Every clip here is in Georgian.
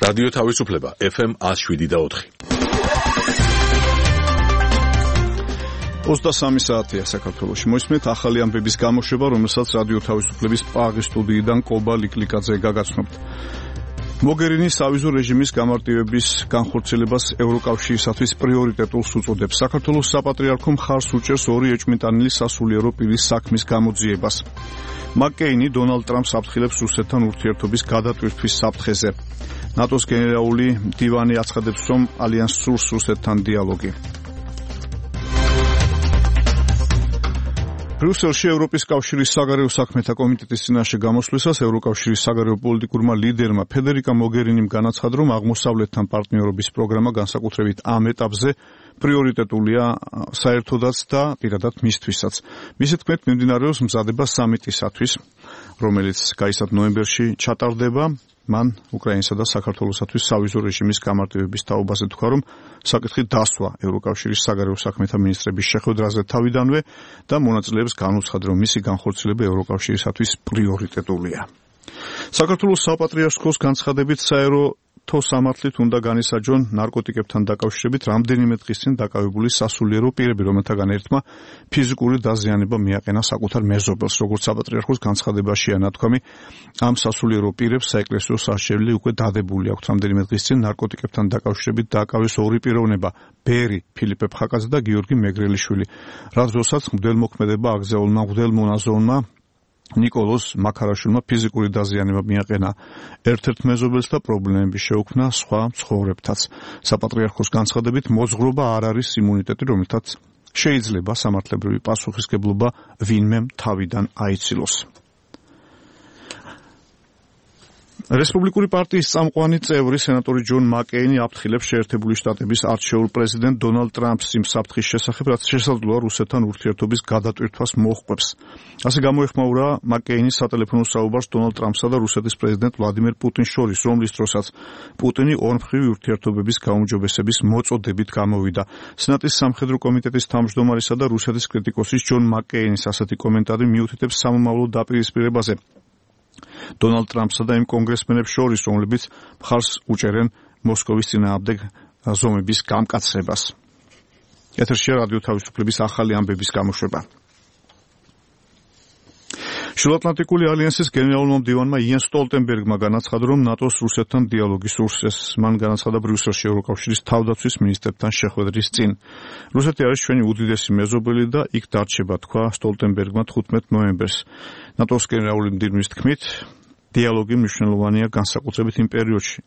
რადიო თავისუფლება FM 107.4. 23 საათია საქართველოში. მოისმენთ ახალი ამბების გამოშვება, რომელსაც რადიო თავისუფლების პრაღის სტუდიიდან კობა ლიკლიკაძე გაგაცნობთ. მოგერინის ავიზო რეჟიმის გამარტივების განხორციელებას ევროკავშირისათვის პრიორიტეტულს უწოდებს. საქართველოს საპატრიარქო მხარს უჭერს 2 ეჭვმიტანილი სასულიერო პირის საქმის გამოძიებას. მაკ-კეინი დონალდ ტრამპს აფრთხილებს რუსეთთან ურთიერთობის გადატვირთვის საფრთხეზე. ნატოს გენერალური მდივანი აცხადებს, რომ ალიანსს სურს რუსეთთან დიალოგი. ბრიუსელში ევროპის კავშირის საგარეო საქმეთა კომიტეტის წინაშე გამოსვლისას ევროკავშირის საგარეო პოლიტიკურმა ლიდერმა ფედერიკა მოგერინიმ განაცხადა, რომ აღმოსავლეთთან პარტნიორობის პროგრამა განსაკუთრებით ამ ეტაპზე პრიორიტეტულია საერთოდაც და პირადად მისთვისაც. მისი თქმით, მიმდინარეობს მზადება სამიტისათვის, რომელიც გაიცად ნოემბერში ჩატარდება. მან უკრაინასა და საქართველოსათვის სავიზო რეჟიმის გამარტივების თაობაზე თქვა, რომ საკითხი დასვა ევროკავშირის საგარეო საქმეთა მინისტრების შეხვედრაზე თავიდანვე და მონაწილეებს განუცხადა, რომ მისი განხორციელება ევროკავშირისათვის პრიორიტეტულია. საქართველოს საპატრიარქოს განცხადებით საერთო სამართლით უნდა განისაჯონ ნარკოტიკებთან დაკავშირებით რამდენიმე დღის წინ დაკავებული სასულიერო პირები, რომელთაგან ერთმა ფიზიკური დაზიანება მიაყენა საკუთარ მეზობელს. როგორც საპატრიარქოს განცხადებაშია ნათქვამი, ამ სასულიერო პირებს საეკლესიო სასჯელი უკვე დადებული აქვთ. რამდენიმე დღის წინ ნარკოტიკებთან დაკავშირებით დააკავეს 2 პიროვნება, ბერი ფილიპე ფხაკაძე და გიორგი მეგრელიშვილი. რაც დროსაც მღვდელმოქმედება აგზაულმა მღვდელმონაზონმა ნიკოლოზ მაქარაშვილმა ფიზიკური დაზიანება მიაყენა ერთ-ერთ მეზობელს და პრობლემები შეუქმნა სხვა მცხოვრებთაც. საპატრიარქოს განცხადებით, მოძღვრობა არ არის იმუნიტეტი, რომელთაც შეიძლება სამართლებრივი პასუხისგებლობა ვინმემ თავიდან აიცილოს. რესპუბლიკური პარტიის წამყვანი წევრი სენატორი ჯონ მაკ-კეინი აფრთხილებს შეერთებული შტატების არჩეულ პრეზიდენტ დონალდ ტრამპს იმ საფრთხის შესახებ, რაც შესაძლოა რუსეთთან ურთიერთობის გადატვირთვას მოჰყვებს. ასე გამოეხმაურა მაკ-კეინის სატელეფონო საუბარს დონალდ ტრამპსა და რუსეთის პრეზიდენტ ვლადიმერ პუტინს შორის, რომლის დროსაც პუტინი ორმხრივი ურთიერთობების გაუმჯობესების მოწოდებით გამოვიდა. სენატის სამხედრო კომიტეტის თავმჯდომარისა და რუსეთის კრიტიკოსის ჯონ მაკ-კეინის ასეთი კომენტარი მიუთითებს სამომავლო დაპირისპირებაზე დონალდ ტრამპსა და იმ კონგრესმენებს შორის, რომლებიც მხარს უჭერენ მოსკოვის წინააღმდეგ ზომების გამკაცრებას. ეთერშია რადიო თავისუფლების ახალი ამბების გამოშვება. შუაატლანტიკური ალიანსის გენერალურმა მდივანმა იენ სტოლტენბერგმა განაცხადა, რომ ნატოს რუსეთთან დიალოგი სურს. მან განაცხადა ბრიუსელში ევროკავშირის თავდაცვის მინისტრებთან შეხვედრის წინ. რუსეთი არის ჩვენი უდიდესი მეზობელი და იქ დარჩება, თქვა სტოლტენბერგმა 15 ნოემბერს. ნატოს გენერალური მდივნის თქმით, დიალოგი მნიშვნელოვანია განსაკუთრებით იმ პერიოდში,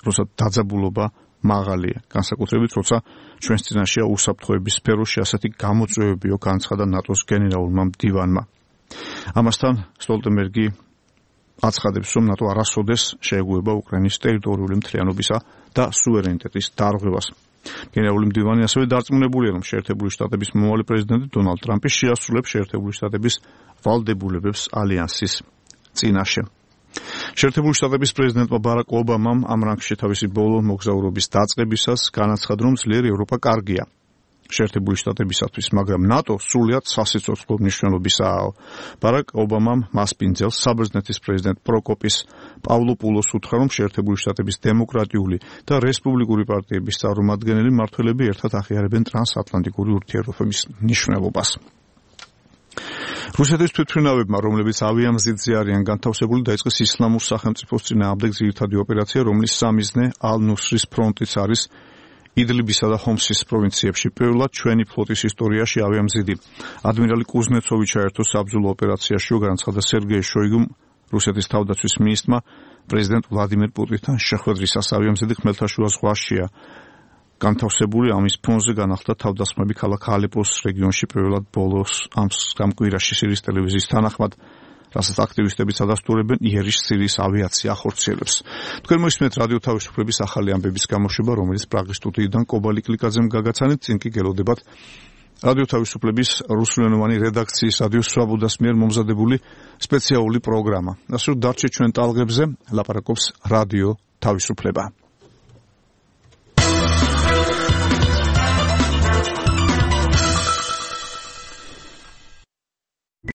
როცა დაძაბულობა მაღალია, განსაკუთრებით როცა ჩვენს წინაშეა უსაფრთხოების სფეროში ასეთი გამოწვევებიო, განაცხადა ნატოს გენერალურმა მდივანმა. ამასთან სტოლტენბერგი აცხადებს, რომ ნატო არასოდეს შეეგუება უკრაინის ტერიტორიული მთლიანობისა და სუვერენიტეტის დარღვევას. გენერალური მდივანი ასევე დარწმუნებულია, რომ შეერთებული შტატების მომავალი პრეზიდენტი დონალდ ტრამპი შეასრულებს შეერთებული შტატების ვალდებულებას ალიანსის წინაშე. შეერთებული შტატების პრეზიდენტმა ბარაკ ობამამ ამ რანგში თავისი ბოლო მოგზაურობის დაწყებისას განაცხადა, რომ ძლიერი ევროპა კარგია შეერთებული შტატებისათვის, მაგრამ ნატო სრულიად სასიცოცხლო მნიშვნელობისაა. ბარაკ ობამამ მასპინძელს საბერძნეთის პრეზიდენტ პროკოპის პავლოპულოს უთხრა, რომ შეერთებული შტატების დემოკრატიული და რესპუბლიკური პარტიების წარმომადგენელი მმართველები ერთად აღიარებენ ტრანსატლანტიკური ურთიერთობების მნიშვნელობას. რუსეთის თვითმფრინავებმა, რომლებიც ავიამზიდზე არიან განთავსებული, დაიწყეს ისლამურ სახელმწიფოს წინააღმდეგ ძირითადი ოპერაცია, რომლის სამიზნე ალ-ნუსრის ფრონტიც არის იდლიბისა და ჰომსის პროვინციებში. პირველად ჩვენი ფლოტის ისტორიაში ავიამზიდი ადმირალი კუზნეცოვი ჩაერთო საბრძოლო ოპერაციაში, განაცხადა სერგეი შოიგუმ, რუსეთის თავდაცვის მინისტრმა პრეზიდენტ ვლადიმერ პუტინთან შეხვედრისას. ავიამზიდი ხმელთაშუა ზღვაშია განთავსებული, ამის ფონზე განახლდა თავდასხმები ქალაქ ალეპოს რეგიონში პირველად ბოლოს ამ კვირაში სირიის ტელევიზიის თანახმად, რასაც აქტივისტები ადასტურებენ იერიშ სირიის ავიაცია ახორციელებს. თქვენ მოისმენთ რადიო თავისუფლების ახალი ამბების გამოშვება, რომელიც პრაღის სტუდიიდან კობა ლიკლიკაძემ გაგაცანით, წინ კი გელოდებათ რადიო თავისუფლების რუსულენოვანი რედაქციის რადიო სვაბოდას მიერ მომზადებული სპეციალური პროგრამა. ასე რომ დარჩეთ ჩვენ ტალღებზე, ლაპარაკობს რადიო თავისუფლება.